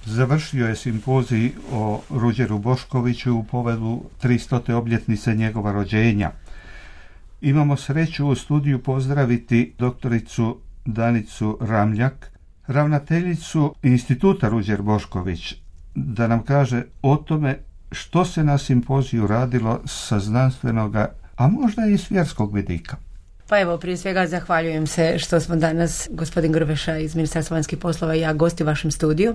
završio je simpozij o Ruđeru Boškoviću u povodu 300. obljetnice njegova rođenja. Imamo sreću u studiju pozdraviti doktoricu Danicu Ramljak, ravnateljicu Instituta Ruđer Bošković, da nam kaže o tome što se na simpoziju radilo sa znanstvenoga, a možda i s vjerskog vidika. Pa evo, prije svega zahvaljujem se što smo danas, gospodin Grbeša iz Ministarstva vanjskih poslova i ja, gosti u vašem studiju.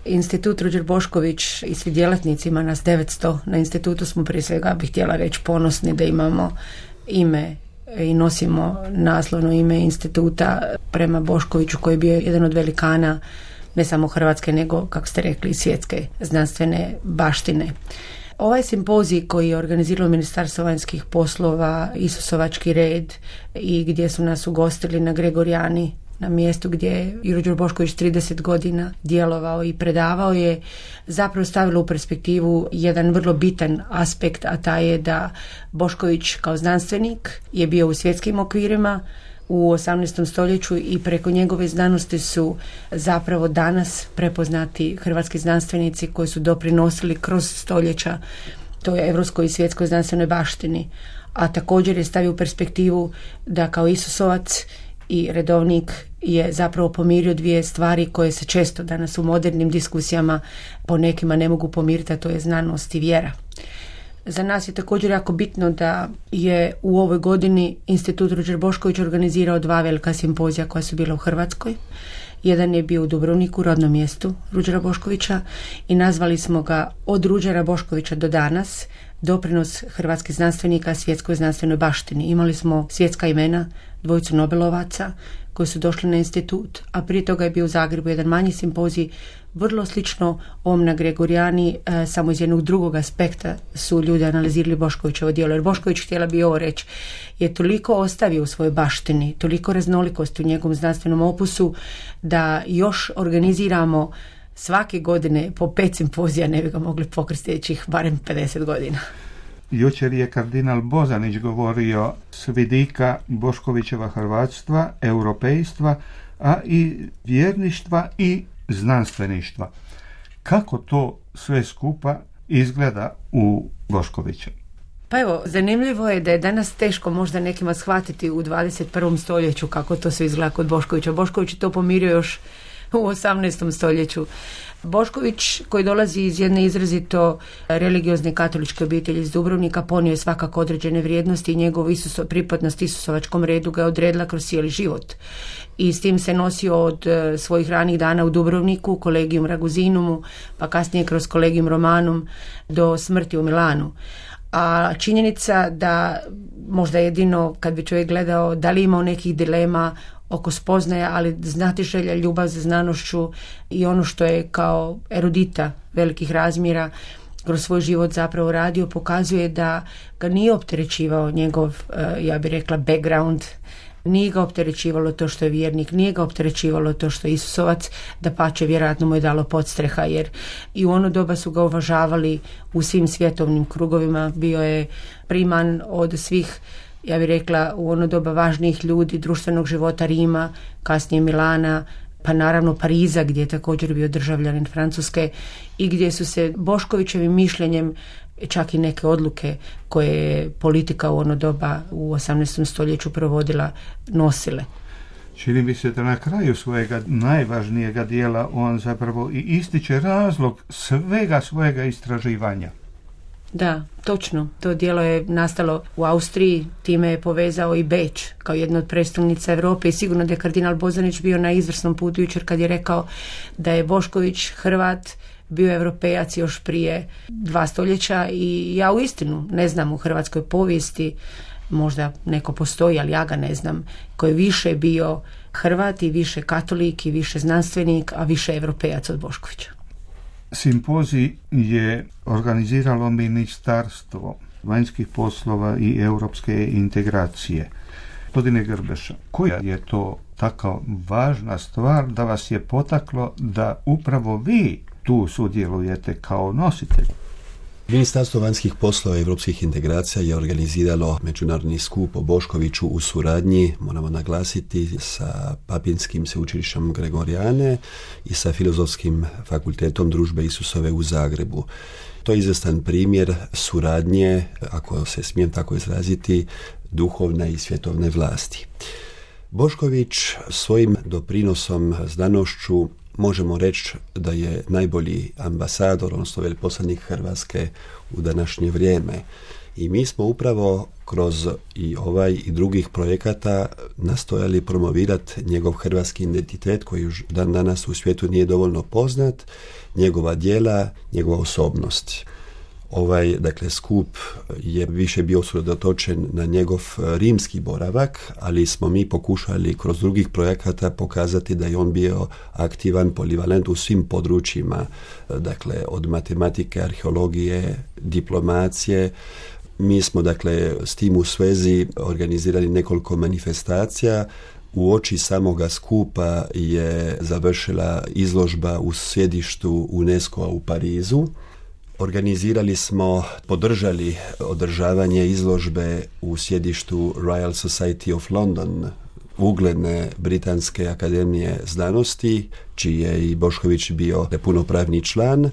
Institut Ruđer Bošković i svi djelatnici, ima nas 900 na institutu, smo prije svega, bih htjela reći, ponosni da imamo ime i nosimo naslovno ime instituta prema Boškoviću, koji je bio jedan od velikana ne samo Hrvatske, nego, kako ste rekli, svjetske znanstvene baštine. Ovaj simpozij koji je organiziralo Ministarstvo vanjskih poslova, Isusovački red, i gdje su nas ugostili na Gregorijani, na mjestu gdje je Ruđer Bošković 30 godina djelovao i predavao, je zapravo stavilo u perspektivu jedan vrlo bitan aspekt, a taj je da Bošković kao znanstvenik je bio u svjetskim okvirima u 18. stoljeću i preko njegove znanosti su zapravo danas prepoznati hrvatski znanstvenici koji su doprinosili kroz stoljeća toj europskoj i svjetskoj znanstvenoj baštini. A također je stavio u perspektivu da kao Isusovac i redovnik je zapravo pomirio dvije stvari koje se često danas u modernim diskusijama po nekima ne mogu pomiriti, a to je znanost i vjera. Za nas je također jako bitno da je u ovoj godini Institut Ruđer Bošković organizirao 2 velika simpozija koja su bila u Hrvatskoj. Jedan je bio u Dubrovniku, rodnom mjestu Ruđera Boškovića, i nazvali smo ga Od Ruđera Boškovića do danas, doprinos hrvatskih znanstvenika svjetskoj znanstvenoj baštini. Imali smo svjetska imena, 2 Nobelovaca koji su došli na institut, a prije toga je bio u Zagrebu jedan manji simpozij, vrlo slično ovom na Gregorijani, samo iz jednog drugog aspekta su ljudi analizirali Boškovićevo djelo. Jer Bošković, htjela bi ovo reći, je toliko ostavio u svojoj baštini, toliko raznolikosti u njegovom znanstvenom opusu, da još organiziramo svake godine po 5 simpozija, ne bi ga mogli pokriti sljedećih barem 50 godina. Jučer je kardinal Bozanić govorio s vidika Boškovićeva hrvatstva, europejstva, a i vjerništva i znanstveništva. Kako to sve skupa izgleda u Boškoviću? Pa evo, zanimljivo je da je danas teško možda nekima shvatiti u 21. stoljeću kako to sve izgleda kod Boškovića. Bošković je to pomirio još u 18. stoljeću. Bošković, koji dolazi iz jedne izrazito religiozne katoličke obitelji iz Dubrovnika, ponio je svakako određene vrijednosti i njegov pripadnost Isusovačkom redu ga je odredila kroz cijeli život. I s tim se nosio od svojih ranih dana u Dubrovniku, Collegium Raguzinumu, pa kasnije kroz Collegium Romanum do smrti u Milanu. A činjenica da možda jedino kad bi čovjek gledao da li imao nekih dilema oko spoznaja, ali znatiželja, ljubav za znanošću i ono što je kao erudita velikih razmjera kroz svoj život zapravo radio, pokazuje da ga nije opterećivao njegov, ja bih rekla, background, nije ga opterećivalo to što je vjernik, nije ga opterećivalo to što je Isusovac, dapače vjerojatno mu je dalo podstreha, jer i u ono doba su ga uvažavali u svim svjetovnim krugovima, bio je priman od svih, ja bih rekla, u ono doba važnijih ljudi društvenog života Rima, kasnije Milana, pa naravno Pariza, gdje je također bio državljanin Francuske i gdje su se Boškovićevim mišljenjem čak i neke odluke koje je politika u ono doba u 18. stoljeću provodila nosile. Čini mi se da na kraju svojega najvažnijega dijela on zapravo i ističe razlog svega svojega istraživanja. Da, točno. To djelo je nastalo u Austriji, time je povezao i Beč kao jedna od prestolnica Europe i sigurno da je kardinal Bozanić bio na izvrsnom putu jučer kad je rekao da je Bošković Hrvat bio Europejac još prije 2 stoljeća i ja uistinu ne znam u hrvatskoj povijesti, možda neko postoji, ali ja ga ne znam, koji je više bio Hrvat i više katolik i više znanstvenik, a više Europejac od Boškovića. Simpozij je organiziralo Ministarstvo vanjskih poslova i europske integracije. Gospodine Grbeša, koja je to taka važna stvar da vas je potaklo da upravo vi tu sudjelujete kao nositelj? Ministarstvo vanjskih poslova i europskih integracija je organiziralo međunarodni skup o Boškoviću u suradnji, moramo naglasiti, sa Papinskim sveučilištem Gregorijane i sa Filozofskim fakultetom Družbe Isusove u Zagrebu. To je izvestan primjer suradnje, ako se smijem tako izraziti, duhovne i svjetovne vlasti. Bošković svojim doprinosom znanošću možemo reći da je najbolji ambasador, odnosno veleposlanik Hrvatske u današnje vrijeme. I mi smo upravo kroz i ovaj i drugih projekata nastojali promovirati njegov hrvatski identitet koji još dan danas u svijetu nije dovoljno poznat, njegova djela, njegova osobnost. Dakle, skup je više bio usredotočen na njegov rimski boravak, ali smo mi pokušali kroz drugih projekata pokazati da je on bio aktivan, polivalent u svim područjima, dakle, od matematike, arheologije, diplomacije. Mi smo, dakle, s tim u svezi organizirali nekoliko manifestacija. U oči samoga skupa je završila izložba u sjedištu UNESCO-a u Parizu. Organizirali smo, podržali održavanje izložbe u sjedištu Royal Society of London, ugledne Britanske akademije znanosti, čiji je i Bošković bio punopravni član.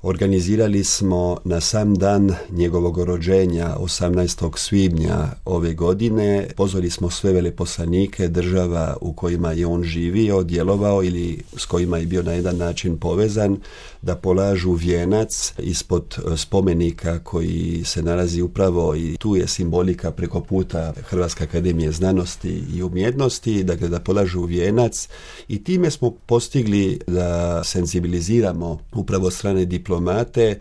Organizirali smo na sam dan njegovog rođenja, 18. svibnja ove godine, pozvali smo sve veleposlanike država u kojima je on živio, djelovao ili s kojima je bio na jedan način povezan, da polažu vijenac ispod spomenika koji se nalazi upravo, i tu je simbolika preko puta Hrvatske akademije znanosti i umjetnosti, dakle da polažu vijenac, i time smo postigli da senzibiliziramo upravo strane diplomate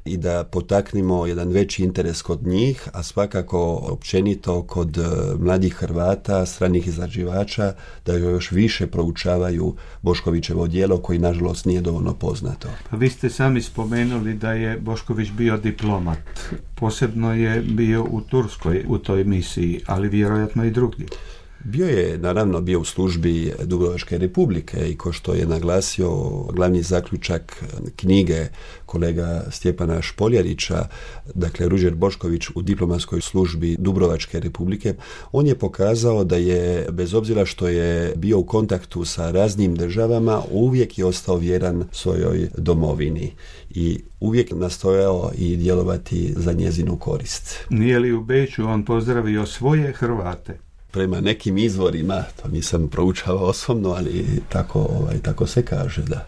i da potaknemo jedan veći interes kod njih, a svakako općenito kod mladih Hrvata, stranih istraživača, da još više proučavaju Boškovićevo djelo koji nažalost nije dovoljno poznato. Vi ste sami spomenuli da je Bošković bio diplomat. Posebno je bio u Turskoj u toj misiji, ali vjerojatno i drugdje. Bio u službi Dubrovačke republike i ko što je naglasio glavni zaključak knjige kolega Stjepana Špoljarića, dakle Ruđer Bošković u diplomatskoj službi Dubrovačke republike, on je pokazao da je, bez obzira što je bio u kontaktu sa raznim državama, uvijek je ostao vjeran svojoj domovini i uvijek nastojao i djelovati za njezinu korist. Nije li u Beču on pozdravio svoje Hrvate? Prema nekim izvorima, to nisam proučavao osobno, ali tako se kaže, da.